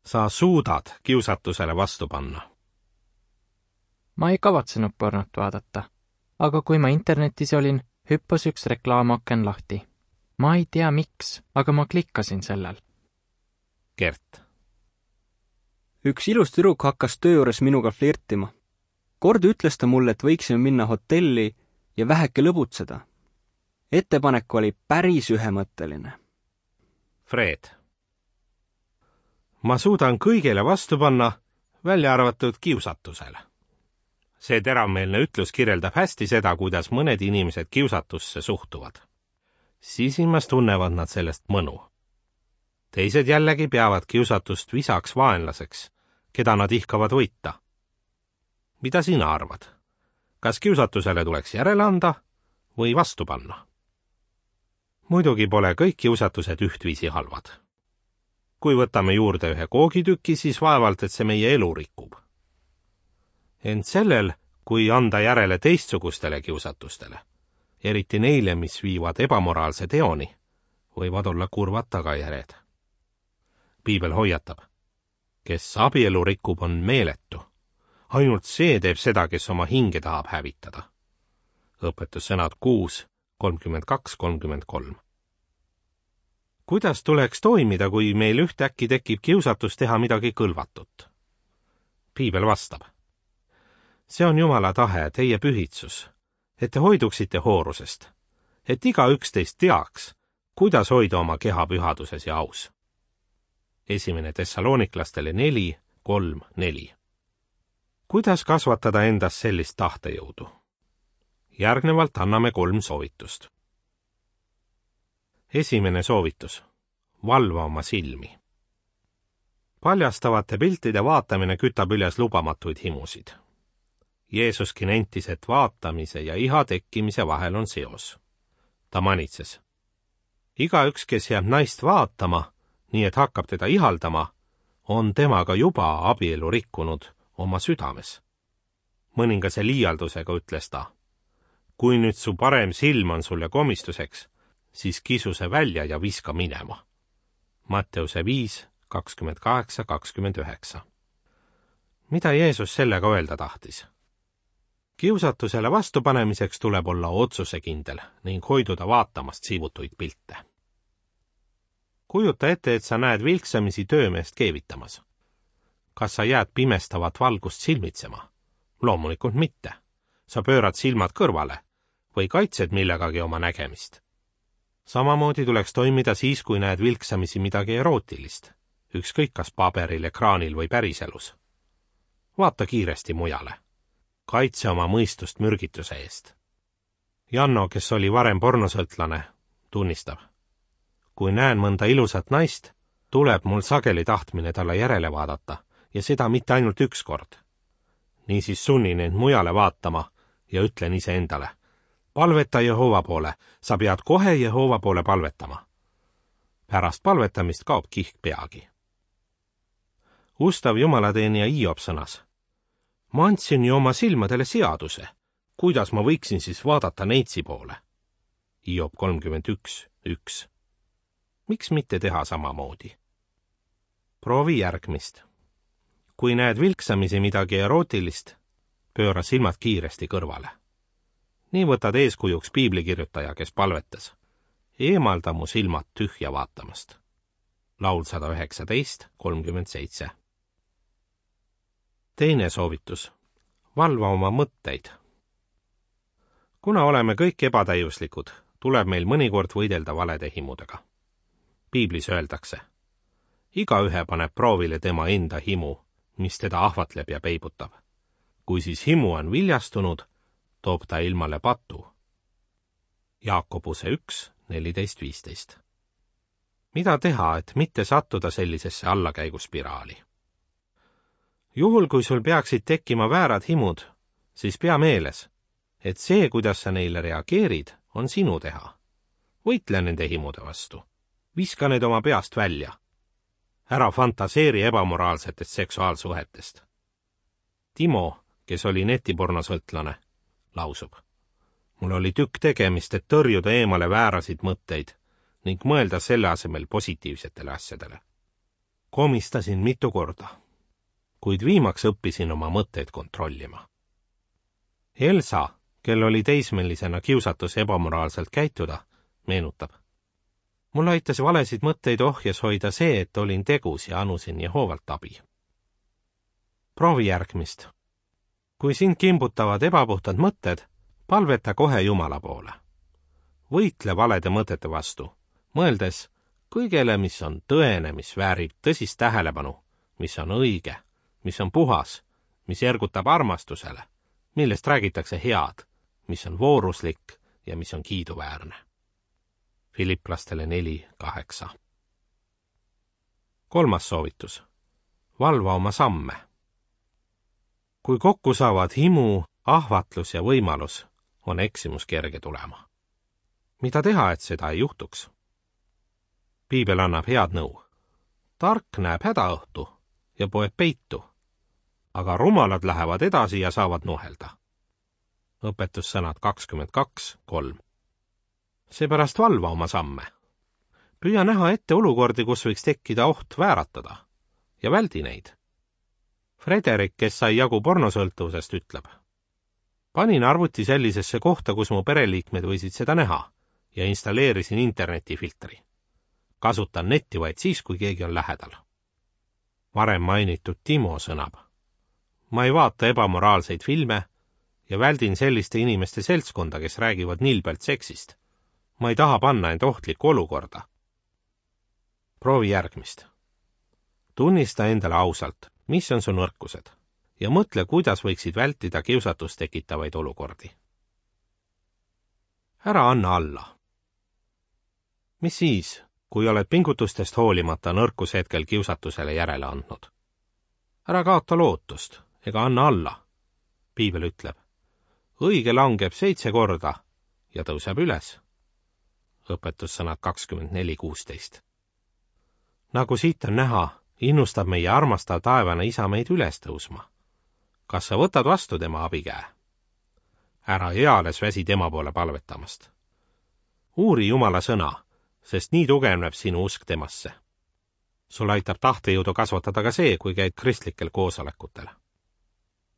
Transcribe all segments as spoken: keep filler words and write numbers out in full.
Sa suudad kiusatusele vastu panna. Ma ei kavatsenud pornot vaadata, aga kui ma internetis olin, hüppas üks reklaamaken lahti. Ma ei tea miks, aga ma klikkasin sellel. Gert. Üks ilus tüdruk hakkas töö juures minuga flirtima. Kord ütles ta mulle, et võiksime minna hotelli ja väheke lõbutseda. Ettepanek oli päris ühemõtteline. Fred. Ma suudan kõigele vastu panna, välja arvatud kiusatusele. See teravmeelne ütlus kirjeldab hästi seda, kuidas mõned inimesed kiusatusse suhtuvad. Sisimas tunnevad nad sellest mõnu. Teised jällegi peavad kiusatust visaks vaenlaseks, keda nad ihkavad võita. Mida sina arvad? Kas kiusatusele tuleks järele anda või vastu panna? Muidugi pole kõik kiusatused ühtviisi halvad. Kui võtame juurde ühe koogitüki, siis vaevalt, et see meie elu rikub. Ent sellel, kui anda järele teistsugustele kiusatustele, eriti neile, mis viivad ebamoraalse teoni, võivad olla kurvad tagajärjed. Piibel hoiatab, kes abielu rikub, on meeletu. Ainult see teeb seda, kes oma hinge tahab hävitada. Õpetussõnad kuus, kolmkümmend kaks kolmkümmend kolm. Kuidas tuleks toimida, kui meil ühtäkki tekib kiusatus teha midagi kõlvatut? Piibel vastab. See on Jumala tahe, teie pühitsus, et te hoiduksite hoorusest, et iga üksteist teaks, kuidas hoida oma keha pühaduses ja aus. Esimene Thessaloniklastele neli, kolm, neli. Kuidas kasvatada endas sellist tahtejõudu? Järgnevalt anname kolm soovitust. Esimene soovitus. Valva oma silmi. Paljastavate piltide vaatamine kütab üles lubamatuid himusid. Jeesuski nentis, et vaatamise ja iha tekkimise vahel on seos. Ta manitses. Igaüks, kes jääb naist vaatama, nii et hakkab teda ihaldama, on temaga juba abielu rikkunud oma südames. Mõningase liialdusega ütles ta. Kui nüüd su parem silm on sulle komistuseks, siis kisu see välja ja viska minema. Matteuse viis, kakskümmend kaheksa kakskümmend üheksa. Mida Jeesus sellega öelda tahtis? Kiusatusele vastupanemiseks tuleb olla otsusekindel ning hoiduda vaatamast siivutuid pilte. Kujuta ette, et sa näed vilksamisi töömeest keevitamas. Kas sa jääd pimestavat valgust silmitsema? Loomulikult mitte. Sa pöörad silmad kõrvale või kaitsed millegagi oma nägemist. Samamoodi tuleks toimida siis, kui näed vilksamisi midagi erootilist, ükskõik kas paberil, ekraanil või päriselus. Vaata kiiresti mujale. Kaitse oma mõistust mürgituse eest. Janno, kes oli varem pornosõltlane, tunnistab. Kui näen mõnda ilusat naist, tuleb mul sageli tahtmine talle järele vaadata ja seda mitte ainult üks kord. Niisiis sunnin end mujale vaatama ja ütlen iseendale. Palveta Jehova poole, sa pead kohe Jehova poole palvetama. Pärast palvetamist kaob kihk peagi. Ustav jumalateenija Hiob sõnas. Ma andsin ju oma silmadele seaduse. Kuidas ma võiksin siis vaadata neitsi poole? Hiob kolmkümmend üks, üks. Miks mitte teha samamoodi? Proovi järgmist. Kui näed vilksamisi midagi erootilist, pööra silmad kiiresti kõrvale. Nii võtad eeskujuks piiblikirjutaja, kes palvetas. Eemalda mu silmad tühja vaatamast. Laul sada üheksateist, kolmkümmend seitse. Teine soovitus. Valva oma mõtteid. Kuna oleme kõik ebatäiuslikud, tuleb meil mõnikord võidelda valede himudega. Piiblis öeldakse. Igaühe paneb proovile tema enda himu, mis teda ahvatleb ja peibutab. Kui siis himu on viljastunud, toob ta ilmale patu. Jaakobuse üks, neliteist viisteist. Mida teha, et mitte sattuda sellisesse allakäiguspiraali? Juhul, kui sul peaksid tekkima väärad himud, siis pea meeles, et see, kuidas sa neile reageerid, on sinu teha. Võitle nende himude vastu. Viska need oma peast välja. Ära fantaseeri ebamoraalsetest seksuaalsuhetest. Timo, kes oli netipornosõltlane, lausub. Mul oli tükk tegemist, et tõrjuda eemale väärasid mõtteid ning mõelda selle asemel positiivsetele asjadele. komistasin mitu korda, kuid viimaks õppisin oma mõtteid kontrollima. Elsa, kel oli teismelisena kiusatus ebamoraalselt käituda, meenutab. Mul aitas valesid mõtteid ohjes hoida see, et olin tegus ja anusin Jehoovalt abi. Proovi järgmist. Kui sind kimbutavad ebapuhtad mõtted, palveta kohe Jumala poole. Võitle valede mõtete vastu, mõeldes kõigele, mis on tõene, mis väärib tõsist tähelepanu, mis on õige, mis on puhas, mis ergutab armastusele, millest räägitakse head, mis on vooruslik ja mis on kiiduväärne. Filipplastele neli kaheksa. Kolmas soovitus. Valva oma samme. Kui kokku saavad himu, ahvatlus ja võimalus, on eksimus kerge tulema. Mida teha, et seda ei juhtuks? Piibel annab head nõu. Tark näeb hädaõhtu ja poeb peitu, aga rumalad lähevad edasi ja saavad nuhelda. Õpetussõnad kakskümmend kaks kolm. Seepärast valva oma samme. Püüa näha ette olukordi, kus võiks tekkida oht vääratada ja väldi neid. Frederik, kes sai jagu pornosõltuvusest, ütleb. Panin arvuti sellisesse kohta, kus mu pereliikmed võisid seda näha ja installeerisin internetifiltri. Kasutan netti vaid siis, kui keegi on lähedal. Varem mainitud Timo sõnab. Ma ei vaata ebamoraalseid filme ja väldin selliste inimeste seltskonda, kes räägivad nilbelt seksist. Ma ei taha panna end ohtlikku olukorda. Proovi järgmist. Tunnista endale ausalt, mis on su nõrkused ja mõtle, kuidas võiksid vältida kiusatust tekitavaid olukordi. Ära anna alla. Mis siis, kui oled pingutustest hoolimata nõrkus hetkel kiusatusele järele andnud? Ära kaota lootust ega anna alla. Piibel ütleb, õige langeb seitse korda ja tõuseb üles. Õpetussõnad kakskümmend neli kuusteist. Nagu siit on näha, innustab meie armastav taevane isa meid üles tõusma. Kas sa võtad vastu tema abikäe? Ära eales väsi tema poole palvetamast. Uuri Jumala sõna, sest nii tugevneb sinu usk temasse. Sul aitab tahtejõudu kasvatada ka see, kui käid kristlikel koosolekutel.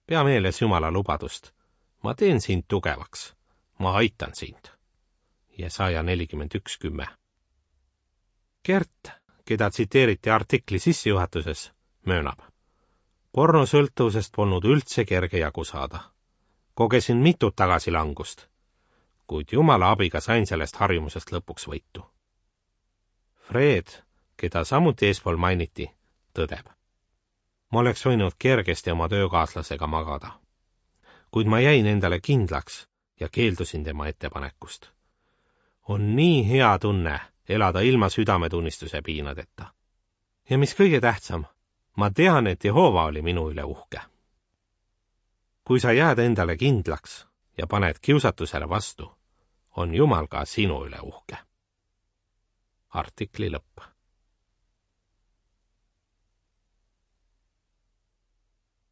Pea meeles Jumala lubadust. Ma teen sind tugevaks. Ma aitan sind. Jesaja nelikümmend üks kümme. Gert, keda tsiteeriti artikli sissejuhatuses, möönab. Pornosõltuvusest polnud üldse kerge jagu saada. Kogesin mitut tagasilangust, kuid Jumala abiga sain sellest harjumusest lõpuks võitu. Fred, keda samuti eespool mainiti, tõdeb. Ma oleks võinud kergesti oma töökaaslasega magada, kuid ma jäin endale kindlaks ja keeldusin tema ettepanekust. On nii hea tunne elada ilma südametunnistuse piinadeta. Ja mis kõige tähtsam, ma tean, et Jehova oli minu üle uhke. Kui sa jääd endale kindlaks ja paned kiusatusele vastu, on Jumal ka sinu üle uhke. Artikli lõpp.